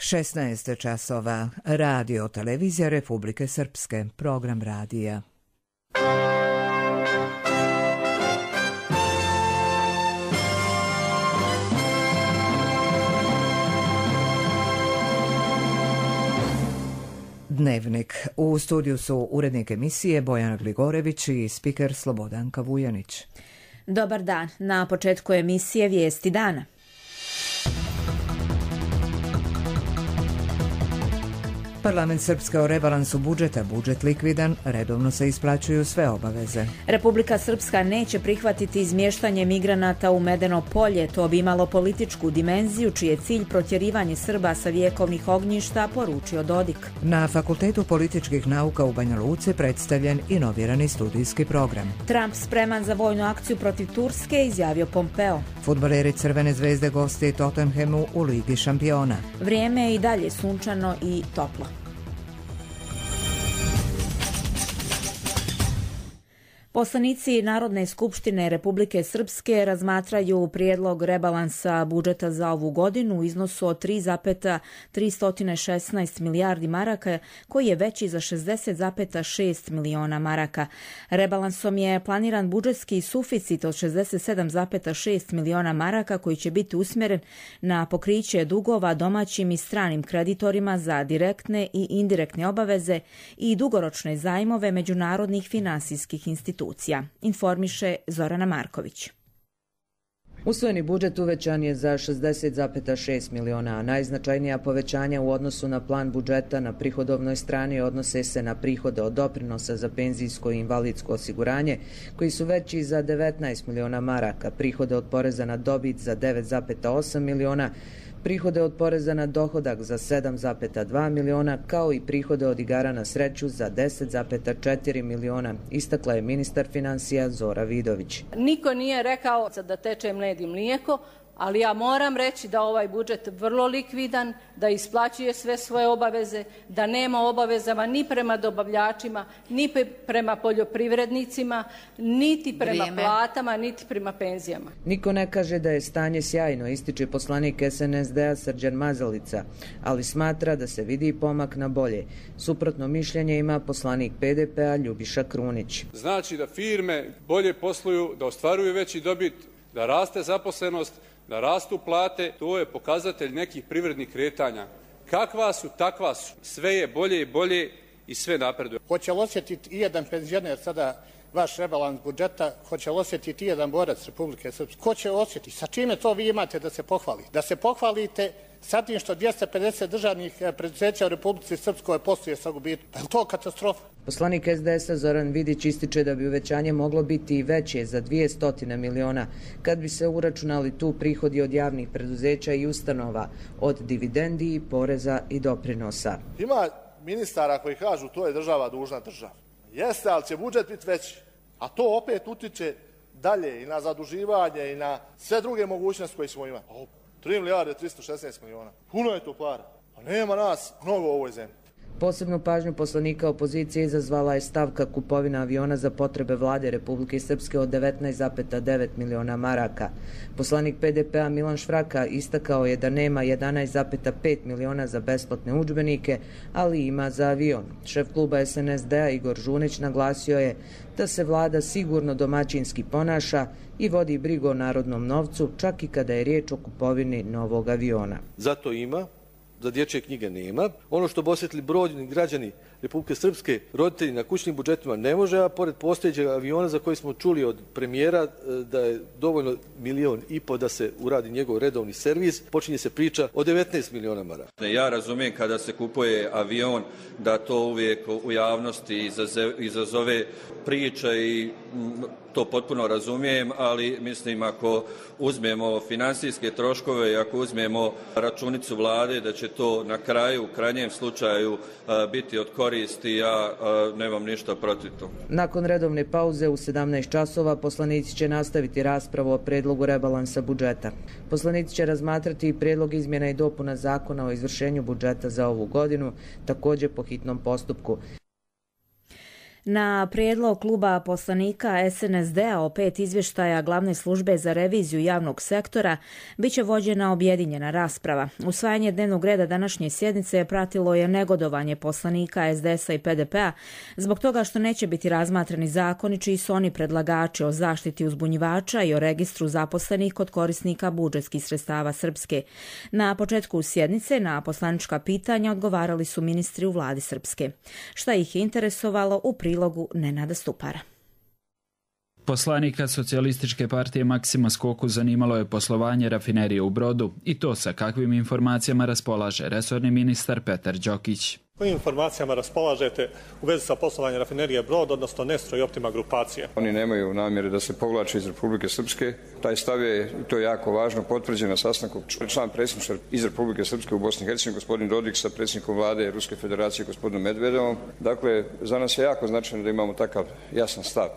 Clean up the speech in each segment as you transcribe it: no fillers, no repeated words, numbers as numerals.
16 časova. Radio televizija Republike Srpske. Program radija. Dnevnik. U studiju su urednik emisije Bojana Gligorević i spiker Slobodanka Vujanić. Dobar dan. Na početku emisije Vijesti dana. Parlament Srpske o rebalansu budžeta, budžet likvidan, redovno se isplaćuju sve obaveze. Republika Srpska neće prihvatiti izmještanje migranata u Medeno polje, to bi imalo političku dimenziju, čiji je cilj protjerivanje Srba sa vjekovnih ognjišta, poručio Dodik. Na Fakultetu političkih nauka u Banja Luci predstavljen inovirani studijski program. Trump spreman za vojnu akciju protiv Turske, izjavio Pompeo. Fudbaleri Crvene zvezde goste Tottenhamu u Ligi šampiona. Vrijeme je i dalje sunčano i toplo. Poslanici Narodne skupštine Republike Srpske razmatraju prijedlog rebalansa budžeta za ovu godinu u iznosu od 3,316 milijardi maraka, koji je veći za 60,6 miliona maraka. Rebalansom je planiran budžetski suficit od 67,6 miliona maraka, koji će biti usmjeren na pokriće dugova domaćim i stranim kreditorima za direktne i indirektne obaveze i dugoročne zajmove međunarodnih finansijskih institucija. Informiše Zorana Marković. Usvojeni budžet uvećan je za 60,6 miliona, a najznačajnija povećanja u odnosu na plan budžeta na prihodovnoj strani odnose se na prihode od doprinosa za penzijsko i invalidsko osiguranje, koji su veći za 19 miliona maraka, prihode od poreza na dobit za 9,8 miliona, prihode od poreza na dohodak za 7,2 miliona, kao i prihode od igara na sreću za 10,4 miliona, istakla je ministar finansija Zora Vidović. Niko nije rekao da teče med i mlijeko, ali ja moram reći da ovaj budžet vrlo likvidan, da isplaćuje sve svoje obaveze, da nema obavezama ni prema dobavljačima, ni prema poljoprivrednicima, niti prema platama, niti prema penzijama. Niko ne kaže da je stanje sjajno, ističe poslanik SNSD-a Srđan Mazalica, ali smatra da se vidi pomak na bolje. Suprotno mišljenje ima poslanik PDP-a Ljubiša Krunić. Znači da firme bolje posluju, da ostvaruju veći dobit, da raste zaposlenost, da rastu plate, to je pokazatelj nekih privrednih kretanja. Kakva su, takva su. Sve je bolje i bolje i sve napreduje. Hoće li osjetiti i jedan penzioner sada vaš rebalans budžeta, hoće li osjetiti i jedan borac Republike Srpske? Ko će osjetiti? Sa čime to vi imate da se pohvalite? Da se pohvalite sa tim što 250 državnih preduzeća u Republici Srpskoj posluje sa gubitkom. Je li to katastrofa? Poslanik SDS-a Zoran Vidić ističe da bi uvećanje moglo biti i veće za 200 miliona, kad bi se uračunali tu prihodi od javnih preduzeća i ustanova, od dividendi, poreza i doprinosa. Ima ministara koji kažu to je država dužna država. Jeste, ali će budžet biti veći. A to opet utiče dalje i na zaduživanje i na sve druge mogućnosti koje smo imali. 3 milijarde 316 miliona. Puno je to para. A nema nas mnogo u ovoj zemlji. Posebnu pažnju poslanika opozicije izazvala je stavka kupovina aviona za potrebe vlade Republike Srpske od 19,9 miliona maraka. Poslanik PDP-a Milan Švraka istakao je da nema 11,5 miliona za besplatne udžbenike, ali ima za avion. Šef kluba SNSD-a Igor Žunić naglasio je da se vlada sigurno domaćinski ponaša i vodi brigu o narodnom novcu, čak i kada je riječ o kupovini novog aviona. Zato ima, za dječje knjige nema. Ono što bi osjetili brojni građani Republike Srpske, roditelji na kućnim budžetima ne može, a pored postojećeg aviona za koji smo čuli od premijera da je dovoljno 1,5 miliona da se uradi njegov redovni servis, počinje se priča o 19 miliona maraka. Ja razumijem kada se kupuje avion da to uvijek u javnosti izazove priče i to potpuno razumijem, ali mislim ako uzmemo financijske troškove i ako uzmemo računicu vlade da će to na kraju, u krajnjem slučaju biti od koristi, ja nemam ništa protiv toga. Nakon redovne pauze u 17 časova poslanici će nastaviti raspravu o predlogu rebalansa budžeta. Poslanici će razmatrati i predlog izmjena i dopuna zakona o izvršenju budžeta za ovu godinu, također po hitnom postupku. Na prijedlog kluba poslanika SNSD-a o 5 izvještaja glavne službe za reviziju javnog sektora biće vođena objedinjena rasprava. Usvajanje dnevnog reda današnje sjednice pratilo je negodovanje poslanika SDS-a i PDP-a zbog toga što neće biti razmatrani zakoni čiji su oni predlagači o zaštiti uzbunjivača i o registru zaposlenih kod korisnika budžetskih sredstava Srpske. Na početku sjednice na poslanička pitanja odgovarali su ministri u vladi Srpske. Šta ih je interesovalo u prilogu Nenada Stupara. Poslanika Socijalističke partije Maksima Skoku zanimalo je poslovanje rafinerije u Brodu i to sa kakvim informacijama raspolaže resorni ministar Petar Đokić. Kojim informacijama raspolažete u vezi sa poslovanjem rafinerije Brod, odnosno Nestro i Optima grupacija? Oni nemaju namjere da se povlače iz Republike Srpske. Taj stav je, i to je jako važno, potvrđen na sastanku član predsjedništva iz Republike Srpske u Bosni i Hercegovini, gospodin Dodik, sa predsjednikom vlade Ruske federacije, gospodinom Medvedevom. Dakle, za nas je jako značajno da imamo takav jasan stav.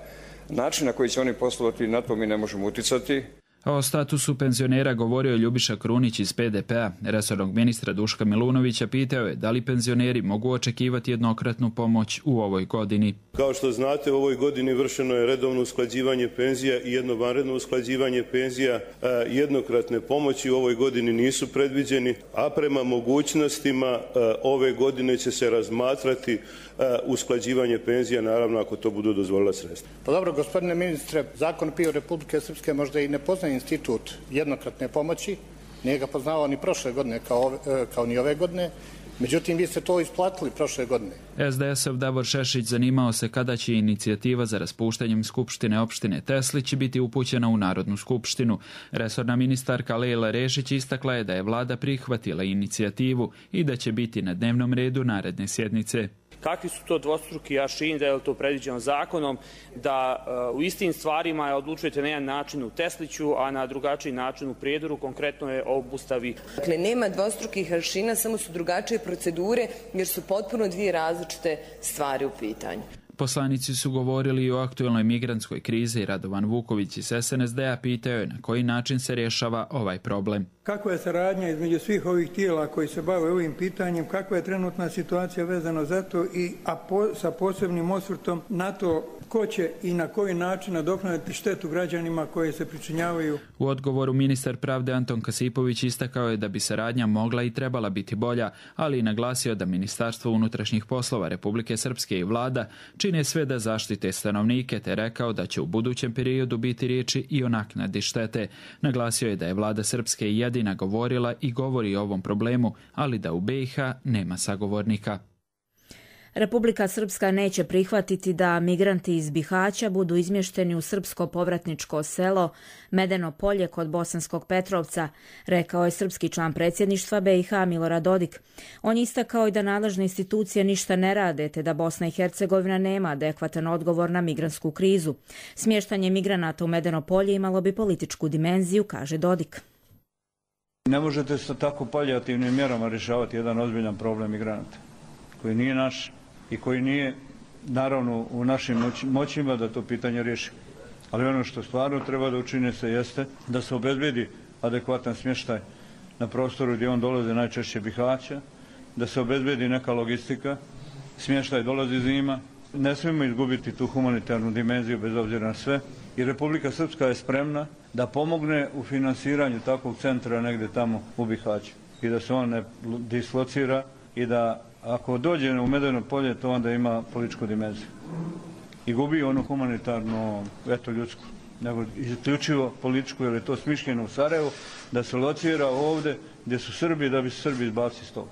Način na koji će oni poslovati, na to mi ne možemo uticati. O statusu penzionera govorio je Ljubiša Krunić iz PDP-a. Resornog ministra Duška Milunovića pitao je da li penzioneri mogu očekivati jednokratnu pomoć u ovoj godini. Kao što znate, u ovoj godini vršeno je redovno usklađivanje penzija i jedno vanredno usklađivanje penzija. Jednokratne pomoći u ovoj godini nisu predviđeni, a prema mogućnostima ove godine će se razmatrati usklađivanje penzija, naravno ako to budu dozvolila sredstva. Pa dobro, gospodine ministre, zakon PIO Republike Srpske možda i ne poznaje institut jednokratne pomoći, nije ga poznavao ni prošle godine kao ni ove godine, međutim vi ste to isplatili prošle godine. SDS-ov Davor Šešić zanimao se kada će inicijativa za raspuštanjem Skupštine opštine Teslić biti upućena u Narodnu skupštinu. Resorna ministarka Lejla Rešić istakla je da je vlada prihvatila inicijativu i da će biti na dnevnom redu naredne sjednice. Kakvi su to dvostruki aršini, da je to predviđeno zakonom, da u istim stvarima odlučujete na jedan način u Tesliću, a na drugačiji način u Prijedoru, konkretno je o obustavi. Dakle, nema dvostrukih aršina, samo su drugačije procedure, jer su potpuno dvije različite stvari u pitanju. Poslanici su govorili i o aktuelnoj migrantskoj krizi i Radovan Vuković iz SNSD-a pitao je na koji način se rješava ovaj problem. Kakva je saradnja između svih ovih tijela koji se bave ovim pitanjem, kakva je trenutna situacija vezano za to sa posebnim osvrtom na to ko će i na koji način nadoknaditi štetu građanima koji se pričinjavaju. U odgovoru ministar pravde Anton Kasipović istakao je da bi saradnja mogla i trebala biti bolja, ali i naglasio da Ministarstvo unutrašnjih poslova Republike Srpske i vlada čine sve da zaštite stanovnike, te rekao da će u budućem periodu biti riječi i o naknadi štete. Naglasio je da je vlada Srpske jedina govorila i govori o ovom problemu, ali da u BiH nema sagovornika. Republika Srpska neće prihvatiti da migranti iz Bihaća budu izmješteni u srpsko povratničko selo Medeno Polje kod Bosanskog Petrovca, rekao je srpski član predsjedništva BiH Milorad Dodik. On je istakao i da nadležne institucije ništa ne rade, te da Bosna i Hercegovina nema adekvatan odgovor na migrantsku krizu. Smještanje migranata u Medeno Polje imalo bi političku dimenziju, kaže Dodik. Ne možete sa tako palijativnim mjerama rješavati jedan ozbiljan problem migranata, koji nije naš i koji nije, naravno, u našim moćima da to pitanje riješi. Ali ono što stvarno treba da učine se jeste da se obezbedi adekvatan smještaj na prostoru gdje on dolaze, najčešće Bihaća, da se obezbedi neka logistika, smještaj dolazi zima. Ne smijemo izgubiti tu humanitarnu dimenziju bez obzira na sve. I Republika Srpska je spremna da pomogne u finansiranju takvog centra negdje tamo u Bihaću i da se on ne dislocira i da ako dođe u Medeno Polje, to onda ima političku dimenziju. I gubi onu humanitarnu, ljudsku, nego isključivo političku, jer je to smišljeno u Sarajevu, da se locira ovdje gdje su Srbi, da bi se Srbi izbacili s toga.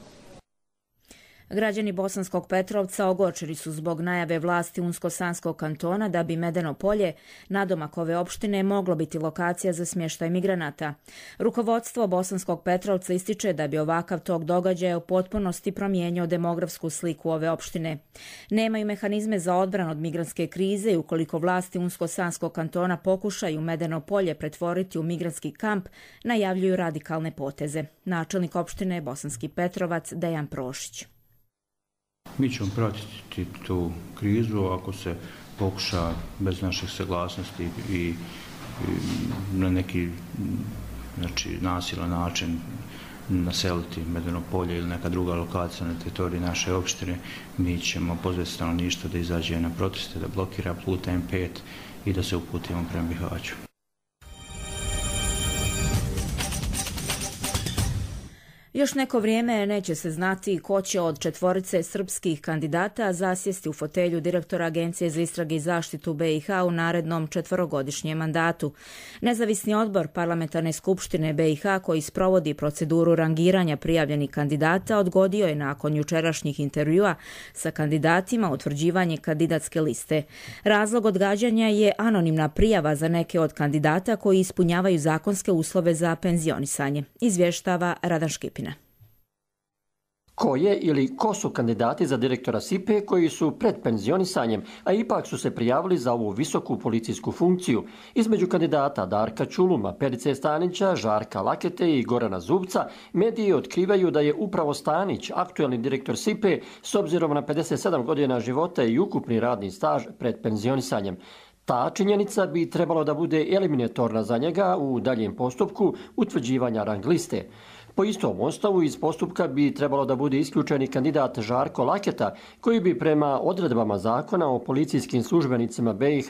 Građani Bosanskog Petrovca ogorčeni su zbog najave vlasti Unsko-Sanskog kantona da bi Medeno Polje, nadomak ove opštine, moglo biti lokacija za smještaj migranata. Rukovodstvo Bosanskog Petrovca ističe da bi ovakav tok događaja u potpunosti promijenio demografsku sliku ove opštine. Nemaju mehanizme za odbranu od migrantske krize i ukoliko vlasti Unsko-Sanskog kantona pokušaju Medeno Polje pretvoriti u migrantski kamp, najavljuju radikalne poteze. Načelnik opštine Bosanski Petrovac Dejan Prošić. Mi ćemo pratiti tu krizu ako se pokuša bez naših saglasnosti i na neki nasilan način naseliti Medeno polje ili neka druga lokacija na teritoriji naše opštine, mi ćemo pozvati stanovništvo da izađe na proteste, da blokira put M5 i da se uputimo prema Bihaću. Još neko vrijeme neće se znati ko će od 4 srpskih kandidata zasjesti u fotelju direktora Agencije za istrage i zaštitu BiH u narednom 4-godišnjem mandatu. Nezavisni odbor Parlamentarne skupštine BiH koji sprovodi proceduru rangiranja prijavljenih kandidata odgodio je nakon jučerašnjih intervjua sa kandidatima utvrđivanje kandidatske liste. Razlog odgađanja je anonimna prijava za neke od kandidata koji ispunjavaju zakonske uslove za penzionisanje, izvještava Radan Škipina. Ko je ili ko su kandidati za direktora SIPE koji su pred penzionisanjem, a ipak su se prijavili za ovu visoku policijsku funkciju? Između kandidata Darka Čuluma, Perice Stanića, Žarka Lakete i Gorana Zubca, mediji otkrivaju da je upravo Stanić, aktuelni direktor SIPE, s obzirom na 57 godina života i ukupni radni staž pred penzionisanjem. Ta činjenica bi trebalo da bude eliminatorna za njega u daljem postupku utvrđivanja rang liste. Po istom osnovu iz postupka bi trebalo da bude isključeni kandidat Žarko Laketa, koji bi prema odredbama zakona o policijskim službenicima BiH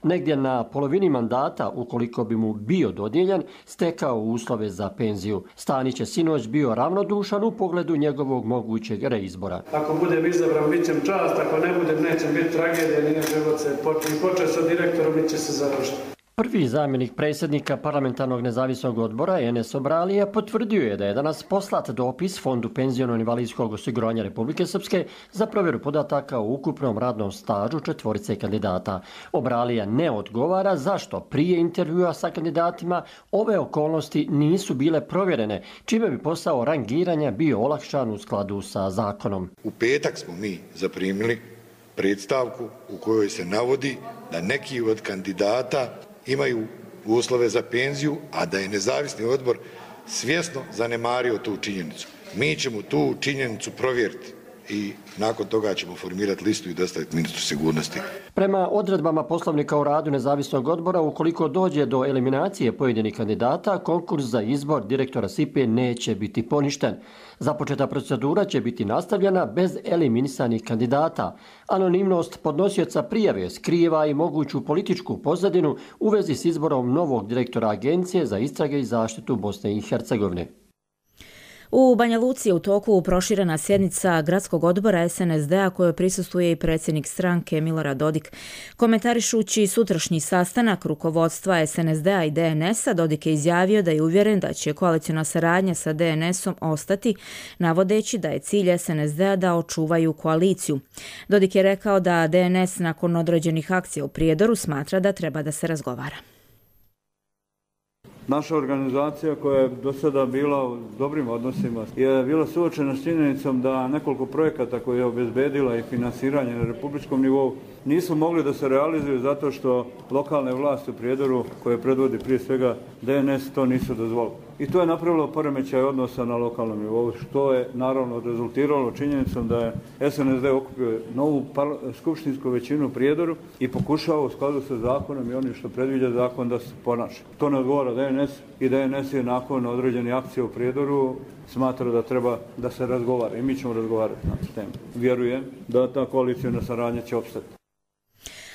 negdje na polovini mandata, ukoliko bi mu bio dodijeljen, stekao uslove za penziju. Stanić je sinoć bio ravnodušan u pogledu njegovog mogućeg reizbora. Ako budem izabran, bit ćem čast, ako ne budem, neće biti tragedija, nije život se počeo sa direktorom, bit će se završiti. Prvi zamjenik predsjednika Parlamentarnog nezavisnog odbora Enes Obralija potvrdio je da je danas poslat dopis Fondu penziono-invalidskog osiguranja Republike Srpske za provjeru podataka o ukupnom radnom stažu 4 kandidata. Obralija ne odgovara zašto prije intervjua sa kandidatima ove okolnosti nisu bile provjerene, čime bi posao rangiranja bio olakšan u skladu sa zakonom. U petak smo mi zaprimili predstavku u kojoj se navodi da neki od kandidata imaju uslove za penziju, a da je nezavisni odbor svjesno zanemario tu činjenicu. Mi ćemo tu činjenicu provjeriti i nakon toga ćemo formirati listu i dostaviti ministru sigurnosti. Prema odredbama Poslovnika o radu nezavisnog odbora, ukoliko dođe do eliminacije pojedinih kandidata, konkurs za izbor direktora SIPE neće biti poništen. Započeta procedura će biti nastavljena bez eliminisanih kandidata. Anonimnost podnosioca prijave skriva i moguću političku pozadinu u vezi s izborom novog direktora Agencije za istrage i zaštitu Bosne i Hercegovine. U Banja Luci je u toku proširena sjednica gradskog odbora SNSD-a kojoj prisustvuje i predsjednik stranke Milorad Dodik. Komentarišući sutrašnji sastanak rukovodstva SNSD-a i DNS-a, Dodik je izjavio da je uvjeren da će koalicijna saradnja sa DNS-om ostati, navodeći da je cilj SNSD-a da očuvaju koaliciju. Dodik je rekao da DNS nakon određenih akcija u Prijedoru smatra da treba da se razgovara. Naša organizacija koja je do sada bila u dobrim odnosima je bila suočena s činjenicom da nekoliko projekata koje je obezbedila i finansiranje na republičkom nivou nisu mogli da se realizuju zato što lokalne vlasti u Prijedoru, koje predvodi prije svega DNS, to nisu dozvolili. I to je napravilo poremećaj odnosa na lokalnom nivou, što je naravno rezultiralo činjenicom da je SNSD okupio novu skupštinsku većinu u Prijedoru i pokušao u skladu sa zakonom i onim što predviđa zakon da se ponaša. To ne odgovara DNS i DNS je nakon određene akcije u Prijedoru smatra da treba da se razgovara i mi ćemo razgovarati na tu temu. Vjerujem da ta koalicijna saradnja će opstati.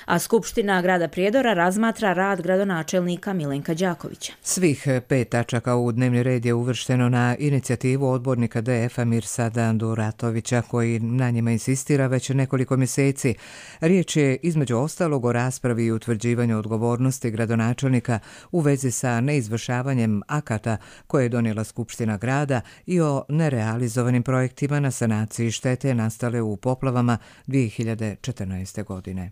A Skupština grada Prijedora razmatra rad gradonačelnika Milenka Đakovića. Svih 5 tačaka u dnevni red je uvršteno na inicijativu odbornika DF-a Mirsada Duratovića, koji na njima insistira već nekoliko mjeseci. Riječ je između ostalog o raspravi i utvrđivanju odgovornosti gradonačelnika u vezi sa neizvršavanjem akata koje je donijela Skupština grada i o nerealizovanim projektima na sanaciji štete nastale u poplavama 2014. godine.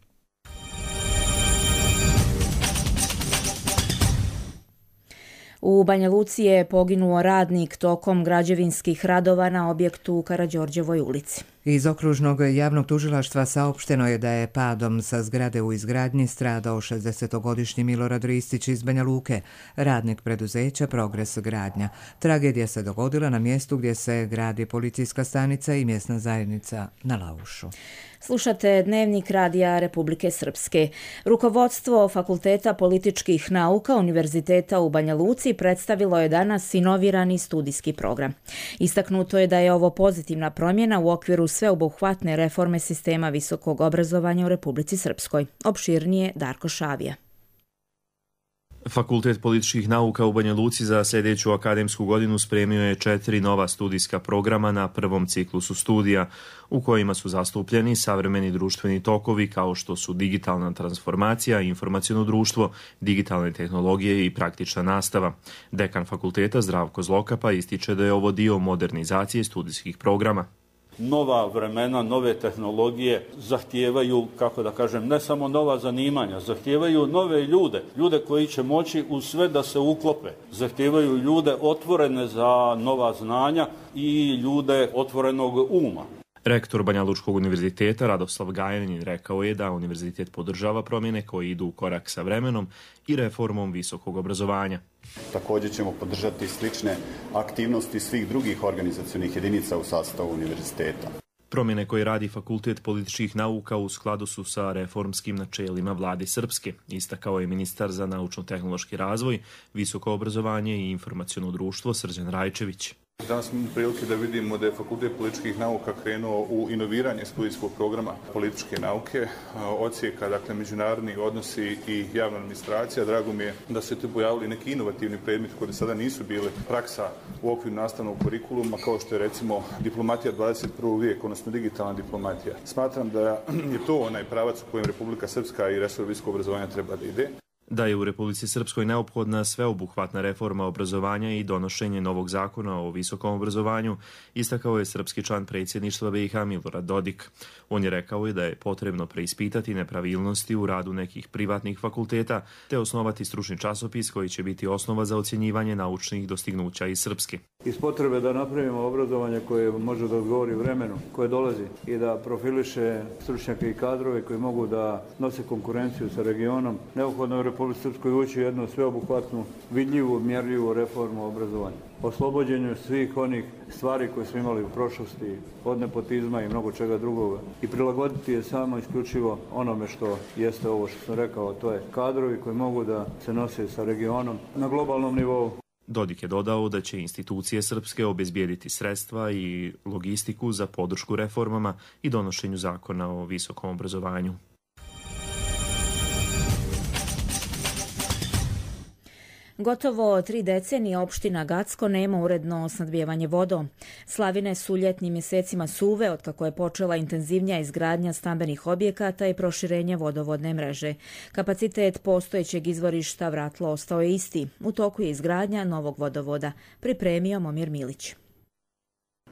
U Banja Luci je poginuo radnik tokom građevinskih radova na objektu u Karađorđevoj ulici. Iz okružnog javnog tužilaštva saopšteno je da je padom sa zgrade u izgradnji stradao 60-godišnji Milorad Ristić iz Banja Luke, radnik preduzeća Progres gradnja. Tragedija se dogodila na mjestu gdje se gradi policijska stanica i mjesna zajednica na Laušu. Slušate Dnevnik Radija Republike Srpske. Rukovodstvo Fakulteta političkih nauka Univerziteta u Banja Luci predstavilo je danas inovirani studijski program. Istaknuto je da je ovo pozitivna promjena u okviru sveobuhvatne reforme sistema visokog obrazovanja u Republici Srpskoj. Opširnije Darko Šavija. Fakultet političkih nauka u Banja Luci za sljedeću akademsku godinu spremio je 4 nova studijska programa na prvom ciklusu studija, u kojima su zastupljeni savremeni društveni tokovi kao što su digitalna transformacija, informaciono društvo, digitalne tehnologije i praktična nastava. Dekan fakulteta Zdravko Zlokapa ističe da je ovo dio modernizacije studijskih programa. Nova vremena, nove tehnologije zahtijevaju, kako da kažem, ne samo nova zanimanja, zahtijevaju nove ljude koji će moći u sve da se uklope. Zahtijevaju ljude otvorene za nova znanja i ljude otvorenog uma. Rektor Banja Lučkog univerziteta Radoslav Gajanin rekao je da univerzitet podržava promjene koje idu u korak sa vremenom i reformom visokog obrazovanja. Također ćemo podržati slične aktivnosti svih drugih organizacionih jedinica u sastavu univerziteta. Promjene koje radi Fakultet političkih nauka u skladu su sa reformskim načelima vlade Srpske, istakao je ministar za naučno-tehnološki razvoj, visoko obrazovanje i informaciono društvo Srđan Rajčević. Danas smo imali prilike da vidimo da je Fakultet političkih nauka krenuo u inoviranje studijskog programa političke nauke, odsjeka, dakle, međunarodni odnosi i javna administracija. Drago mi je da se tu pojavili neki inovativni predmeti koji sada nisu bili praksa u okviru nastavnog kurikuluma, kao što je recimo diplomatija 21. vijeka, odnosno digitalna diplomatija. Smatram da je to onaj pravac u kojem Republika Srpska i resor visokog obrazovanja treba da ide. Da je u Republici Srpskoj neophodna sveobuhvatna reforma obrazovanja i donošenje novog zakona o visokom obrazovanju, istakao je srpski član predsjedništva BiH Milorad Dodik. On je rekao i da je potrebno preispitati nepravilnosti u radu nekih privatnih fakulteta te osnovati stručni časopis koji će biti osnova za ocjenjivanje naučnih dostignuća iz Srpske. Iz potrebe da napravimo obrazovanje koje može da odgovori vremenu koje dolazi i da profiliše stručnjake i kadrove koji mogu da nose konkurenciju sa regionom, neophodno je u Republici Srpskoj ući jednu sveobuhvatnu, vidljivu, mjerljivu reformu obrazovanja. Oslobođenju svih onih stvari koje smo imali u prošlosti, od nepotizma i mnogo čega drugoga. I prilagoditi je samo isključivo onome što jeste ovo što sam rekao, to je kadrovi koji mogu da se nose sa regionom na globalnom nivou. Dodik je dodao da će institucije srpske obezbijediti sredstva i logistiku za podršku reformama i donošenju zakona o visokom obrazovanju. Gotovo 3 decenije opština Gacko nema uredno snabdijevanje vodom. Slavine su ljetnim mjesecima suve, otkako je počela intenzivnija izgradnja stambenih objekata i proširenje vodovodne mreže. Kapacitet postojećeg izvorišta Vratlo ostao je isti. U toku je izgradnja novog vodovoda, pripremio Momir Milić.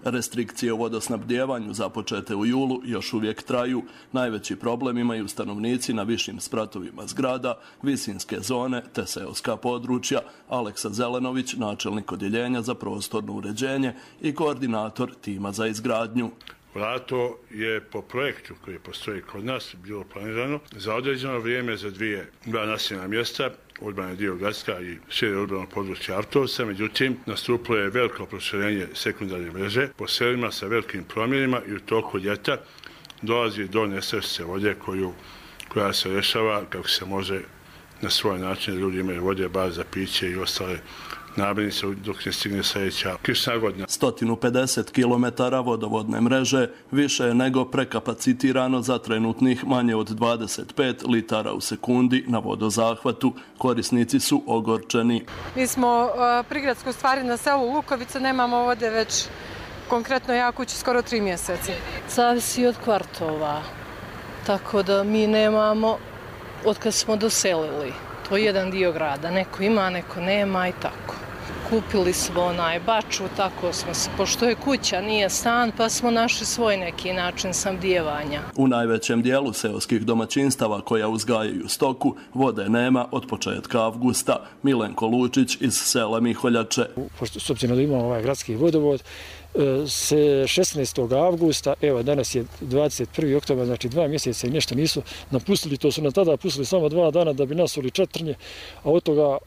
Restrikcije u vodosnabdijevanju započete u julu još uvijek traju. Najveći problem imaju stanovnici na višim spratovima zgrada, visinske zone te seoska područja. Aleksa Zelenović, načelnik odjeljenja za prostorno uređenje i koordinator tima za izgradnju. Vratlo je po projektu koji postoji kod nas bilo planirano za određeno vrijeme za dva naseljena mjesta, urbani dio Gacka i šire urbano područje Avtovca. Međutim, nastupilo je veliko proširenje sekundarne mreže po selima sa velikim promjenima i u toku ljeta dolazi do nestašice vode koja se rješava kako se može na svoj način. Ljudi imaju vode, bar za piće i ostale namirnice dok ne stigne sljedeća kišna godina. 150 km vodovodne mreže više je nego prekapacitirano za trenutnih manje od 25 litara u sekundi na vodozahvatu. Korisnici su ogorčeni. Mi smo prigradsko stvari na selu Lukovica, nemamo vode već konkretno ja kući skoro 3 mjeseca. Zavisi od kvartova, tako da mi nemamo od kad smo doselili. To je jedan dio grada, neko ima, neko nema i tako. kupili smo baču, tako smo se, pošto je kuća, nije stan, pa smo našli svoj neki način snabdijevanja. U najvećem dijelu seoskih domaćinstava koja uzgajaju stoku, vode nema od početka avgusta. Milenko Lučić iz sela Miholjače. Pošto s obzirom da imamo ovaj gradski vodovod, 16. avgusta, evo danas je 21. oktobar, znači 2 mjeseca i nešto nisu napustili, to su nam tada pustili samo 2 dana da bi nasuli četrnje, a od toga,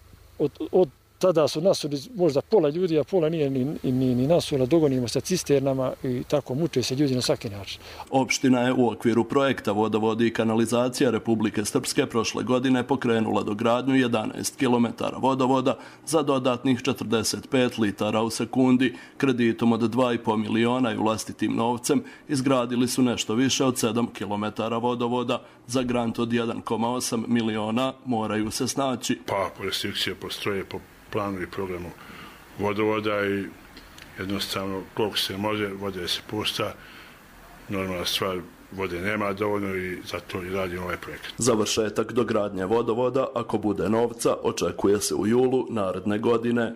od tada su nasuli možda pola ljudi, a pola nije ni nasula, dogonimo sa cisternama i tako muče se ljudi na svaki način. Opština je u okviru projekta Vodovodi i kanalizacija Republike Srpske prošle godine pokrenula dogradnju 11 km vodovoda za dodatnih 45 litara u sekundi. Kreditom od 2,5 miliona i vlastitim novcem izgradili su nešto više od 7 km vodovoda. Za grant od 1,8 miliona moraju se snaći. Pa restrikcije postroje po planu i programu vodovoda i jednostavno koliko se može, vode se pusta, normalna stvar, vode nema dovoljno i zato i radimo ovaj projekt. Završetak dogradnje vodovoda, ako bude novca, očekuje se u julu naredne godine.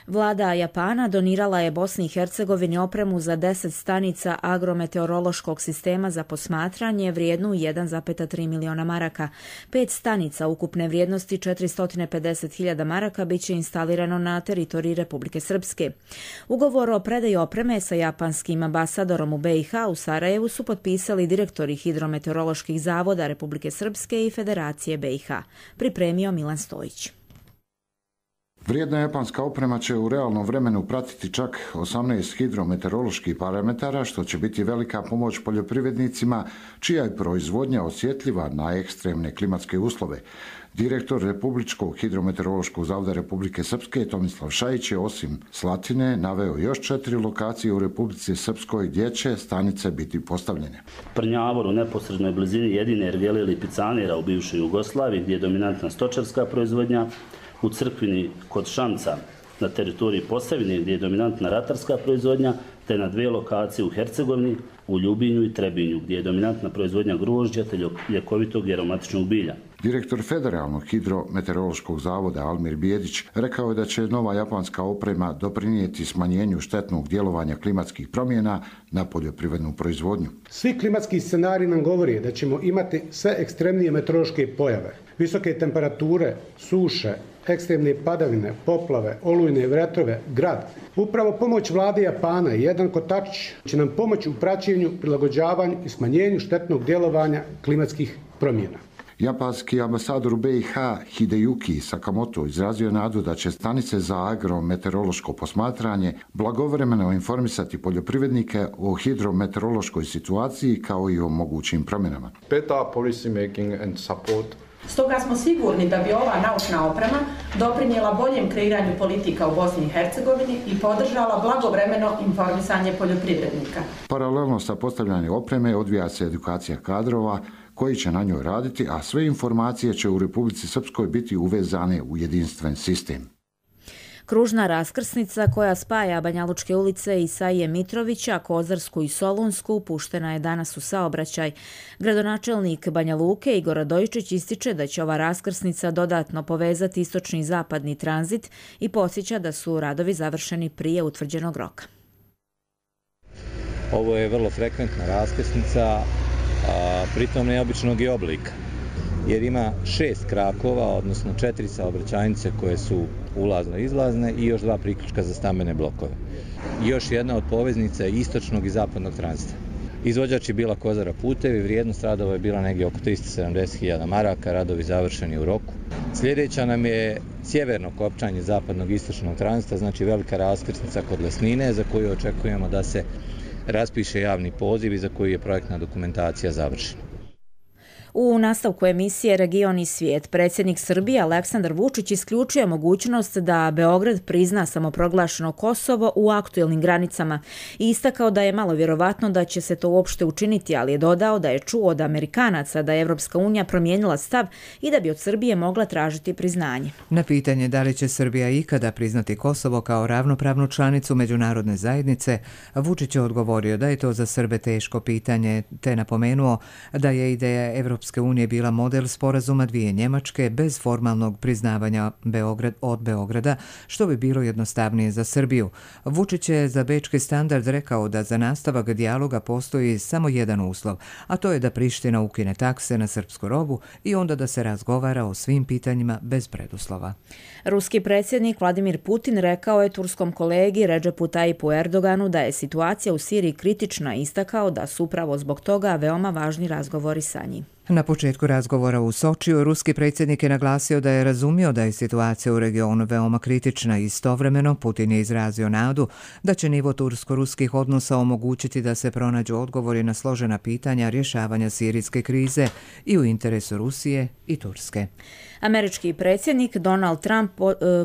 Vlada Japana donirala je Bosni i Hercegovini opremu za 10 stanica agrometeorološkog sistema za posmatranje vrijednu 1,3 miliona maraka. 5 stanica ukupne vrijednosti 450.000 maraka biće instalirano na teritoriji Republike Srpske. Ugovor o predaji opreme sa japanskim ambasadorom u BiH u Sarajevu su potpisali direktori hidrometeoroloških zavoda Republike Srpske i Federacije BiH. Pripremio Milan Stojić. Vrijedna japanska oprema će u realnom vremenu pratiti čak 18 hidrometeoroloških parametara, što će biti velika pomoć poljoprivrednicima, čija je proizvodnja osjetljiva na ekstremne klimatske uslove. Direktor Republičkog hidrometeorološkog zavoda Republike Srpske Tomislav Šajić je osim Slatine naveo još 4 lokacije u Republici Srpskoj gdje će stanice biti postavljene. Prnjavor u neposrednoj blizini jedine ergele ili picanira u bivšoj Jugoslaviji gdje je dominantna stočarska proizvodnja, u Crkvini kod Šamca na teritoriji Posavine gdje je dominantna ratarska proizvodnja, te na 2 lokacije u Hercegovini, u Ljubinju i Trebinju gdje je dominantna proizvodnja grožđa te ljekovitog i aromatičnog bilja. Direktor Federalnog hidrometeorološkog zavoda Almir Bijedić rekao je da će nova japanska oprema doprinijeti smanjenju štetnog djelovanja klimatskih promjena na poljoprivrednu proizvodnju. Svi klimatski scenariji nam govore da ćemo imati sve ekstremnije meteorološke pojave, visoke temperature, suše, ekstremne padavine, poplave, olujne vjetrove, grad. Upravo pomoć vlade Japana i jedan kotačić će nam pomoći u praćenju, prilagođavanju i smanjenju štetnog djelovanja klimatskih promjena. Japanski ambasador u BiH Hideyuki Sakamoto izrazio nadu da će stanice za agrometeorološko posmatranje blagovremeno informisati poljoprivrednike o hidrometeorološkoj situaciji kao i o mogućim promjenama. Better policy making and support. Stoga smo sigurni da bi ova naučna oprema doprinijela boljem kreiranju politika u Bosni i Hercegovini i podržala blagovremeno informisanje poljoprivrednika. Paralelno sa postavljanjem opreme odvija se edukacija kadrova koji će na njoj raditi, a sve informacije će u Republici Srpskoj biti uvezane u jedinstven sistem. Kružna raskrsnica koja spaja Banjalučke ulice Isaije Mitrovića, Kozarsku i Solunsku puštena je danas u saobraćaj. Gradonačelnik Banja Luke Igor Radojičić ističe da će ova raskrsnica dodatno povezati istočni i zapadni tranzit i podsjeća da su radovi završeni prije utvrđenog roka. Ovo je vrlo frekventna raskrsnica, pritom neobičnog i oblika, jer ima 6 krakova, odnosno 4 saobraćajnice koje su ulazno-izlazne i još 2 priključka za stambene blokove. Još jedna od poveznica istočnog i zapadnog tranzita. Izvođač je bila Kozara putevi, vrijednost radova je bila negdje oko 370.000 maraka, radovi završeni u roku. Sljedeća nam je sjeverno kopčanje zapadnog i istočnog tranzita, znači velika raskrsnica kod Lesnine, za koju očekujemo da se raspiše javni poziv i za koju je projektna dokumentacija završena. U nastavku emisije Region i svijet, predsjednik Srbije Aleksandar Vučić isključuje mogućnost da Beograd prizna samoproglašeno Kosovo u aktuelnim granicama i istakao da je malo vjerovatno da će se to uopšte učiniti, ali je dodao da je čuo od Amerikanaca da je Evropska unija promijenila stav i da bi od Srbije mogla tražiti priznanje. Na pitanje da li će Srbija ikada priznati Kosovo kao ravnopravnu članicu međunarodne zajednice, Vučić je odgovorio da je to za Srbe teško pitanje, te napomenuo da je ideja Evropske Europske unije bila model sporazuma dvije Njemačke bez formalnog priznavanja od Beograda, što bi bilo jednostavnije za Srbiju. Vučić je za Bečki standard rekao da za nastavak dijaloga postoji samo jedan uslov, a to je da Priština ukine takse na srpsku robu i onda da se razgovara o svim pitanjima bez preduslova. Ruski predsjednik Vladimir Putin rekao je turskom kolegi Redžepu Tajipu Erdoganu da je situacija u Siriji kritična i istakao da su upravo zbog toga veoma važni razgovori sa njim. Na početku razgovora u Sočiju, ruski predsjednik je naglasio da je razumio da je situacija u regionu veoma kritična i istovremeno Putin je izrazio nadu da će nivo tursko-ruskih odnosa omogućiti da se pronađu odgovori na složena pitanja rješavanja sirijske krize i u interesu Rusije i Turske. Američki predsjednik Donald Trump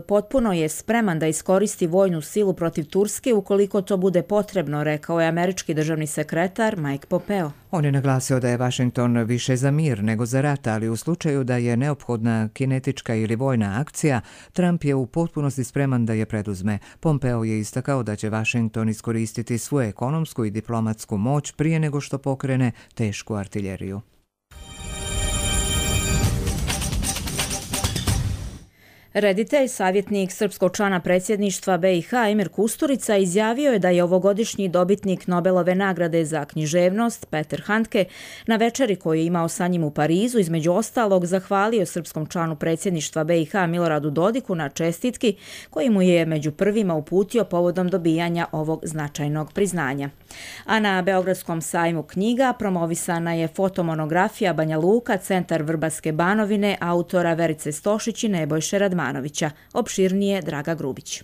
potpuno je spreman da iskoristi vojnu silu protiv Turske ukoliko to bude potrebno, rekao je američki državni sekretar Mike Pompeo. On je naglasio da je Washington više za mir nego za rat, ali u slučaju da je neophodna kinetička ili vojna akcija, Trump je u potpunosti spreman da je preduzme. Pompeo je istakao da će Washington iskoristiti svoju ekonomsku i diplomatsku moć prije nego što pokrene tešku artiljeriju. Reditelj, savjetnik srpskog člana predsjedništva BiH Emir Kusturica izjavio je da je ovogodišnji dobitnik Nobelove nagrade za književnost Peter Handke na večeri koju je imao sa njim u Parizu između ostalog zahvalio srpskom članu predsjedništva BiH Miloradu Dodiku na čestitki koji mu je među prvima uputio povodom dobijanja ovog značajnog priznanja. A na Beogradskom sajmu knjiga promovisana je fotomonografija Banja Luka, centar Vrbaske Banovine, autora Verice Stošić i Nebojše Radmanovića. Opširnije Draga Grubić.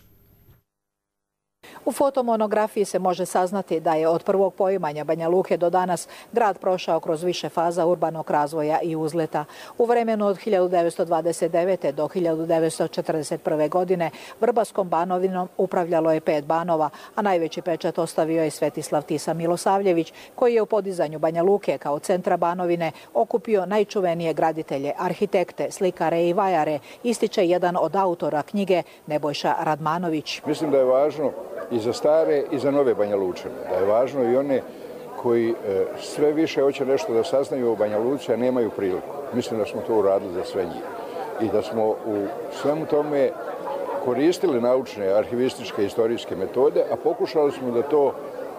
U fotomonografiji se može saznati da je od prvog poimanja Banja Luke do danas grad prošao kroz više faza urbanog razvoja i uzleta. U vremenu od 1929. do 1941. godine Vrbaskom Banovinom upravljalo je 5 banova, a najveći pečat ostavio je Svetislav Tisa Milosavljević, koji je u podizanju Banja Luke kao centra Banovine okupio najčuvenije graditelje, arhitekte, slikare i vajare, ističe jedan od autora knjige Nebojša Radmanović. Mislim da je važno i za stare i za nove Banja Lučane. Da je važno i one koji sve više hoće nešto da saznaju o Banja Luci, a nemaju priliku. Mislim da smo to uradili za sve njih. I da smo u svemu tome koristili naučne, arhivističke, istorijske metode, a pokušali smo da to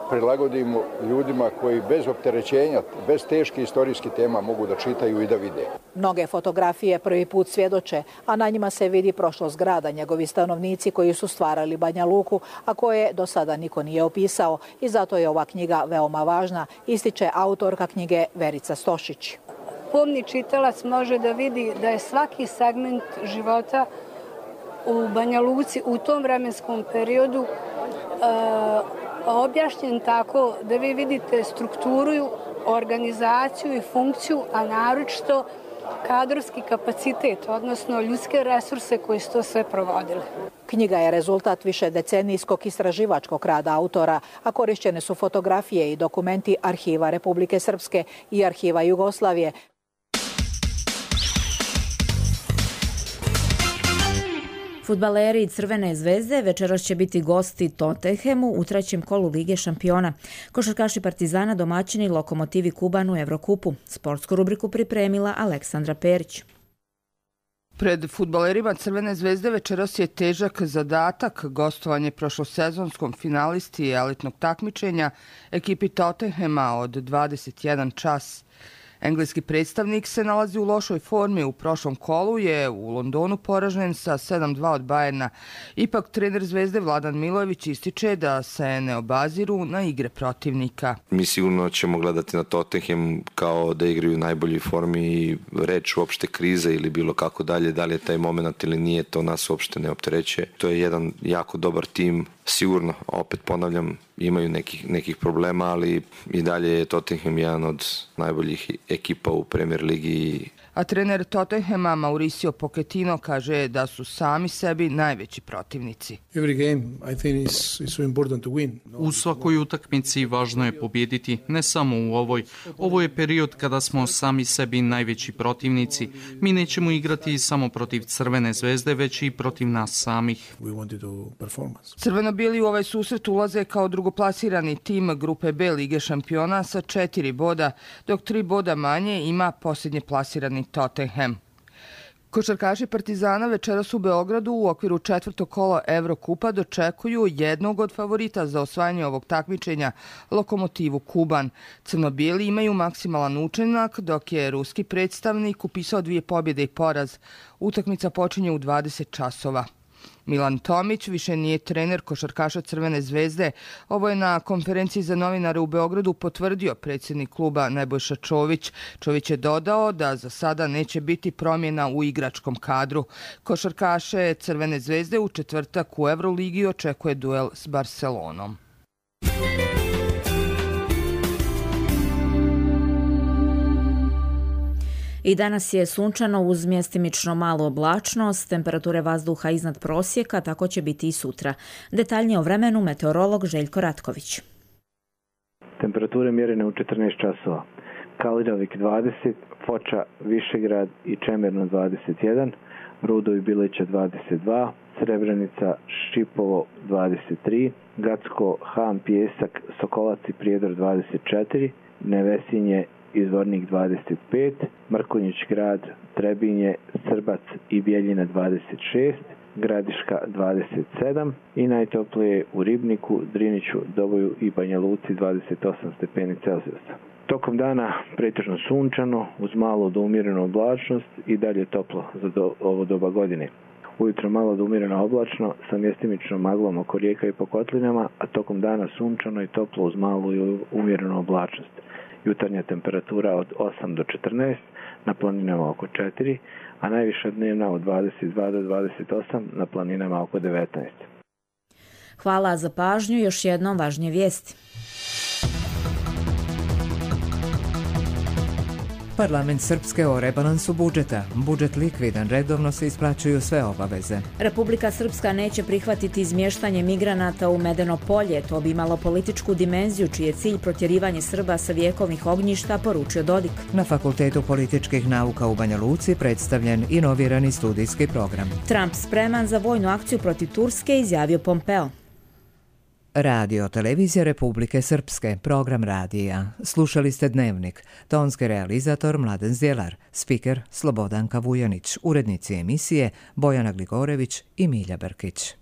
prilagodimo ljudima koji bez opterećenja, bez teških istorijskih tema mogu da čitaju i da vide. Mnoge fotografije prvi put svjedoče, a na njima se vidi prošlost grada, njegovi stanovnici koji su stvarali Banja Luku, a koje do sada niko nije opisao i zato je ova knjiga veoma važna, ističe autorka knjige Verica Stošić. Pomni čitalac može da vidi da je svaki segment života u Banja Luci u tom vremenskom periodu objašnjen tako da vi vidite strukturu, organizaciju i funkciju, a naročito kadrovski kapacitet, odnosno ljudske resurse koji su to sve provodili. Knjiga je rezultat višedecenijskog istraživačkog rada autora, a korišćene su fotografije i dokumenti Arhiva Republike Srpske i Arhiva Jugoslavije. Fudbaleri Crvene zvezde večeras će biti gosti Tottenhamu u trećem kolu Lige šampiona. Košarkaši Partizana domaćini Lokomotivi Kuban u Evrokupu. Sportsku rubriku pripremila Aleksandra Perić. Pred fudbalerima Crvene zvezde večeras je težak zadatak gostovanje prošlosezonskom finalisti elitnog takmičenja ekipi Tottenhama od 21 čas. Engleski predstavnik se nalazi u lošoj formi. U prošlom kolu je u Londonu poražen sa 7-2 od Bayerna. Ipak trener Zvezde Vladan Milojević ističe da se ne obaziru na igre protivnika. Mi sigurno ćemo gledati na Tottenham kao da igraju u najboljoj formi i reč uopšte krize ili bilo kako dalje. Da li je taj moment ili nije, to nas uopšte ne opterećuje. To je jedan jako dobar tim. Sigurno, opet ponavljam, imaju nekih problema, ali i dalje je Tottenham jedan od najboljih ekipa u Premier ligi. A trener Tottenhama Mauricio Pochettino kaže da su sami sebi najveći protivnici. U svakoj utakmici važno je pobijediti, ne samo u ovoj. Ovo je period kada smo sami sebi najveći protivnici. Mi nećemo igrati samo protiv Crvene zvezde, već i protiv nas samih. Crveno-bijeli u ovaj susret ulaze kao drugoplasirani tim grupe B Lige šampiona sa 4 boda, dok 3 boda manje ima posljednje plasirani Tottenham. Košarkaši Partizana večeras u Beogradu u okviru 4. kola Evrokupa dočekuju jednog od favorita za osvajanje ovog takmičenja, Lokomotivu Kuban. Crno-bijeli imaju maksimalan učinak, dok je ruski predstavnik upisao 2 pobjede i poraz. Utakmica počinje u 20 časova. Milan Tomić više nije trener košarkaša Crvene zvezde. Ovo je na konferenciji za novinare u Beogradu potvrdio predsjednik kluba Nebojša Čović. Čović je dodao da za sada neće biti promjena u igračkom kadru. Košarkaše Crvene zvezde u četvrtak u Euroligi očekuje duel s Barcelonom. I danas je sunčano uz mjestimično malu oblačnost, temperature vazduha iznad prosjeka, tako će biti i sutra. Detaljnije o vremenu meteorolog Željko Ratković. Temperature mjerene u 14 časova. Kalinovik 20, Foča, Višegrad i Čemerno 21, Rudo i Bilića 22, Srebrenica, Šipovo 23, Gacko, Han, Pijesak, Sokolac i Prijedor 24, Nevesinje, Izvornik 25, Mrkonjić grad, Trebinje, Srbac i Bjeljina 26, Gradiška 27 i najtoplije u Ribniku, Driniću, Doboju i Banja Luci 28 stepeni Celzijusa. Tokom dana pretežno sunčano, uz malo do umjerenu oblačnost i dalje toplo za ovo doba godine. Ujutro malo do umjereno oblačno sa mjestimičnom maglom oko rijeka i po kotlinama, a tokom dana sunčano i toplo uz malu i umjerenu oblačnost. Jutarnja temperatura od 8 do 14, na planinama oko 4, a najviša dnevna od 22 do 28, na planinama oko 19. Hvala za pažnju, još jednom važnije vijesti. Parlament Srpske o rebalansu budžeta. Budžet likvidan, redovno se isplaćuju sve obaveze. Republika Srpska neće prihvatiti izmještanje migranata u Medeno polje. To bi imalo političku dimenziju, čiji je cilj protjerivanje Srba sa vjekovnih ognjišta, poručio Dodik. Na Fakultetu političkih nauka u Banja Luci predstavljen inovirani studijski program. Trump spreman za vojnu akciju protiv Turske, izjavio Pompeo. Radio Televizija Republike Srpske, program radija. Slušali ste Dnevnik. Tonski realizator Mladen Zdjelar, spiker Slobodanka Vujanić, urednici emisije Bojana Gligorević i Milja Brkić.